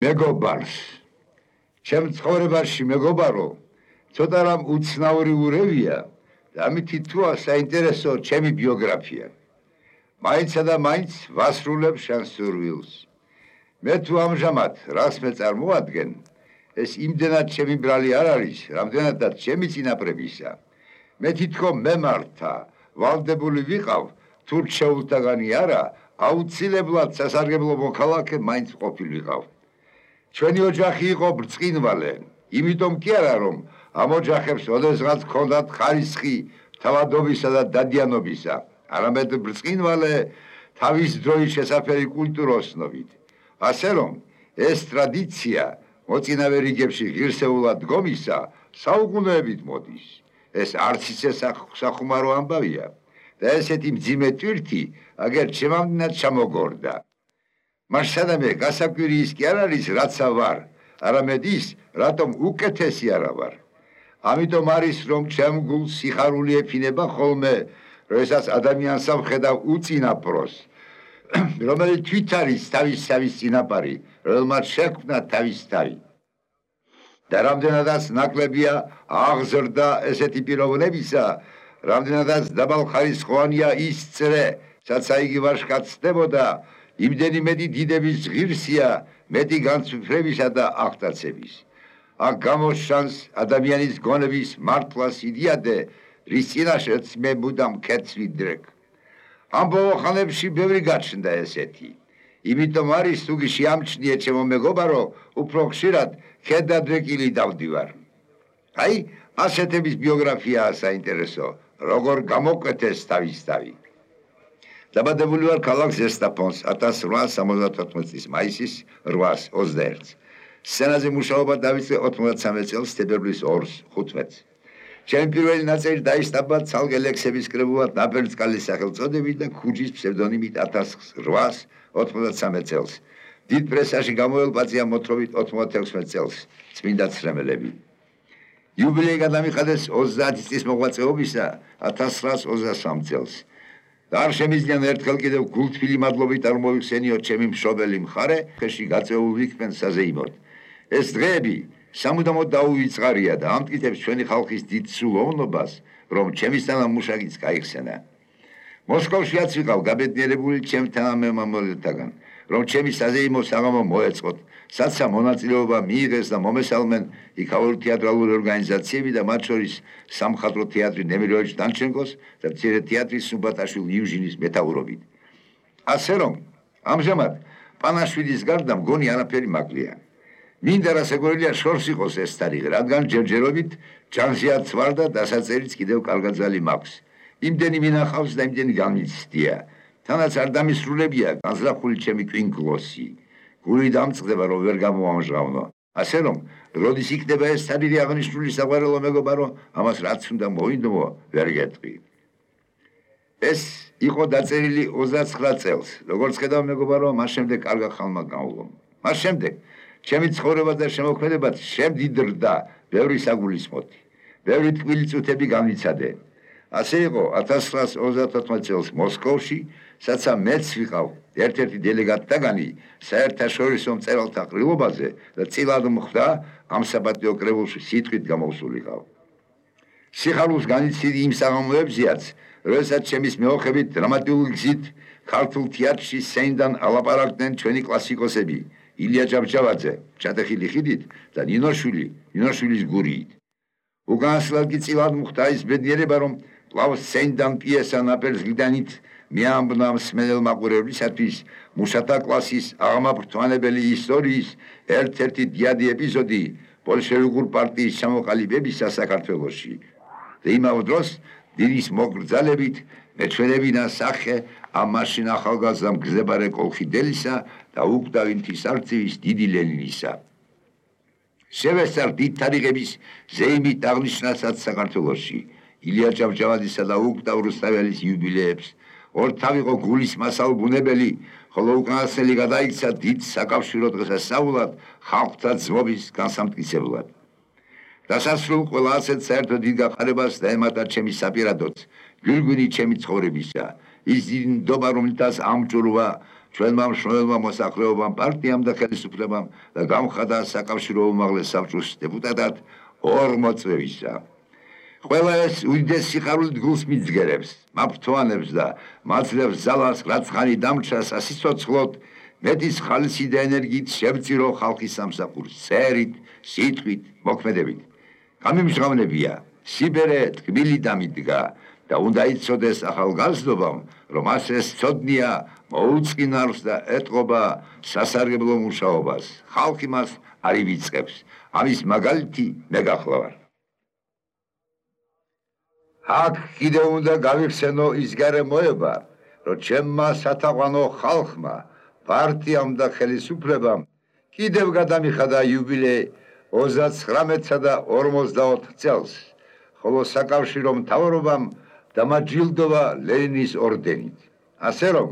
მეგობარს ჩემ ცხოვრებაში მეგობარო ცოტა რამ უცნაური ურევია და ამითი თუა საინტერესო ჩემი ბიოგრაფია მაინცა და მაინც ვასრულებ შენს სურვილს მე თუ ამჟამად რას მე წარმოადგენ ეს იმდენად ჩემი ბრალი არ არის რამდენადაც ჩემი წინაპრებისა მე თითქოს მემართა ვალდებული ვიყავ თუ რჩეულთაგანი არა აუცილებლად სასარგებლო მოქალაქე მაინც ყოფილიყავ ჩვენი ოჯახი იყო ბრწყინვალე იმიტომ კი არა რომ ამ ოჯახებს ოდესღაც ჰქონდათ ხარისხი თავადობისა და დადიანობისა არამედ ბრწყინვალე თავის დროის შესაფერი კულტუროსნობით ასე რომ ეს ტრადიცია მოწინავე რიგებში ღირსეულად დგომისა საუკუნეებით მოდის ეს არც ისე სახუმარო ამბავია და ესეთი მძიმე ტვირთი აგერ ჩემამდენად ჩამოგორდა მას სადამე გასაკვირი ის კი არ არის რაცა ვარ არამედ ის რატომ უკეთესი არა ვარ ამიტომ არის რომ ჩემ გულს სიხარული ეფინება ხოლმე როდესაც ადამიანს ვხედავ უწინაპროს რომელიც თვით არის თავის წინაპარი რომელმაც შექმნა თავის თავი და რამდენადაც ნაკლებია აღზრდა ესეთი პიროვნებისა რამდენადაც დაბალხარისხოვანია ის წრე საცა იგი ვაჟკაცს ხდებოდა იმდენი მეტი დიდების ღირსია მეტი განცვიფრებისა და აღტაცების აქ გამოჩანს ადამიანის გონების მართლას იდიადე რის წინაშეც მე მუდამ ქეთს ვიდრეკ ამ ბოლო ხანებში ბევრი გაჩნდა ესეთი იმიტომ არის თუგი შეამჩნიე ჩემო მეგობარო უფრო ხშირად ქედადრეკილი დავდივარ აი ასეთების ბიოგრაფიაა საინტერესო როგორ გამოკვეთეს თავი დაბადებული ვარ ქალაქ ზესტაფონს 1874 წლის მაისის 8-21 სცენაზე მუშაობა დავიწყე 93 წელს თებერვლის 2-15 ჩემი პირველი ნაწერი დაისტაბა ცალკე ლექსების კრებულად ნაპერწკალის სახელწოდებით და ქუჯის ფსევდონიმით 1893 წელს დიდ პრესაში გამოელბაწია მოთხრობით 96 წელს წმინდა ცრემელები იუბილეი გადამიხადეს 30 წლის მოღვაწეობისა 1923 წელს და არ შემიძლია ერთხელ კიდევ გულთბილი მადლობით არ მოვიხსენიოთ ჩემი მშობელი მხარე ხეში გაწეული ვიქნენ საზეიმოდ ეს დღეები სამუდამოდ დაუვიწყარია და ამტკიცებს ჩვენი ხალხის დიდ სულოვნობას რომ ჩემისთანა მუშაკიც გაიხსენა მოსკოვშიაც ვიყავ გაბედნიერებული ჩემ თანამემამულეთაგან რომ ჩემი საზეიმო საღამო მოეწყოთ საცა მონაწილეობა მიიღეს და მომესალმენ იქაური თეატრალური ორგანიზაციები და მათ შორის სამხატვრო თეატრი ნემიროვიჩ დანჩენკოს და მცირე თეატრი სუბატაშვილ იუჟინის მეთაურობით ასე რომ ამჟამად პანაშვილის გარდა მგონი არაფერი მაკლია მინდა რასაკვირველია შორს იყოს ეს თარიღი რადგან ჯერჯერობით ჯანზიაც ვარ და დასაწერიც კიდევ კარგაძალი მაქვს იმდენი მინახავს და იმდენი გამიცდია თანაც არ დამისრულებია განზრახული ჩემი კვინკლოსი გული დამწყდება რომ ვერ გამოამჟღავნო ასე რომ როდის იქნება ეს თარიღი აღნიშნული საყვარელო მეგობარო ამას რაც უნდა მოინდომო ვერ გეტყვი ეს იყო დაწერილი 29 წელს როგორც ხედავ მეგობარო მას შემდეგ კარგა ხალმა გავულო მას შემდეგ ჩემი ცხოვრება და შემოქმედებაც შემდიდრდა ბევრი საგულისხმოთი ბევრი ტკბილი წუთები გამიცადე ასე იყო 1934 წელს მოსკოვში საცა მეც ვიყავ ერთ-ერთი დელეგატთაგანი საერთაშორისო მწერალთა ყრილობაზე და წილად მხდა ამ საბატიო კრებულში სიტყვით გამოვსულიყავ სიხარულს განიცდიდი იმ საღამოებზეაც როდესაც ჩემის მეოხებით დრამატიული გზით ქართულ თეატრში სცენიდან ალაპარაკდნენ ჩვენი კლასიკოსები ილია ჭავჭავაძე ჩატეხილი ხიდით და ნინოშვილის გურიით უკანასკნელად კი წილად მხდა ის ბედნიერება რომ კვლავ სცენიდან პიესა ნაპერწკლიდანით მეამბნა მსმენელ მაყურებლისათვის მუშათა კლასის აღმაფრთვანებელი ისტორიის ერთ-ერთი დიადი ეპიზოდი ბოლშევიკური პარტიის ჩამოყალიბებისა საქართველოში და იმავე დროს დილის მოგრძალებით მეჩვენებინა სახე ამ მაშინ ახალგაზრდა მგზებარე კოლხიდელისა და უკდავი მთისარწივის დიდი ლენინისა შევესწარ დიდ თარიღების ზეიმით აღნიშნასაც საქართველოში ილია ჭავჭავაძისა და უკდავ რუსთაველის იუბილეებს ორთავ იყო გულის მასალ ბუნებელი ხოლო უკანასკნელი გადაიქცა დიდ საკავშირო დღესასწაულად ხალხთა ძმობის განსამტკიცებლად დასასრულ ყველა ასეთ საერთო დიდ გაყარებას დაემატა ჩემი საპირადოც გვირგვინი ჩემი ცხოვრებისა ის დიდი ნდობა რომლითაც ამჭურვა ჩვენმა მშრომელმა მოსახლეობამ, პარტიამ და ხელისუფლებამ და გამხადა საკავშირო უმაღლეს საბჭოს დეპუტატად 2 მოწვევისა. ყველა ეს უდიდეს სიხარულით გულს მიძგერებს, მაფრთოვანებს და მაძლევს ძალას, რაც ხანი დამრჩა სასიცოცხლოდ, მეტის ხალისი და ენერგიით შევწირო ხალხის სამსახურს, წერით, სიტყვით, მოქმედებით. გამიმჟღავნებია, სიბერე ტკბილი დამიდგა და უნდა იცოდეს ახალგაზრდობამ, რომ ასე სწოდნია მოუწყინავს და ეტყობა სასარგებლო მუშაობას. ხალხი მას არ ივიწყებს. ამის მაგალითი მე გახლავარ. აქ კიდევ უნდა გავიხსენო ის გარემოება, რომ ჩემმა სათაყვანო ხალხმა, პარტიამ და ხელისუფლებამ კიდევ გადამიხადა იუბილე 39-სა და 44 წელს, ხოლო საკავშირო მთავრობამ დამაჯილდოვა ლენინის ორდენით. ასე რომ,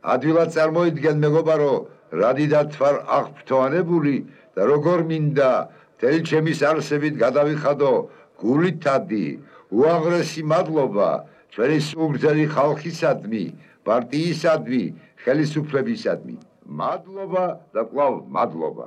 ადვილად წარმოიდგენ მეგობარო, რა დიდად ვარ აღფრთოვანებული და როგორ მინდა მთელი ჩემის არსებით გადავიხადო გულითადი, უაღრესი მადლობა ჩვენი სულგრძელი ხალხისადმი, პარტიისადმი, ხელისუფლებისადმი. მადლობა და კვლავ მადლობა.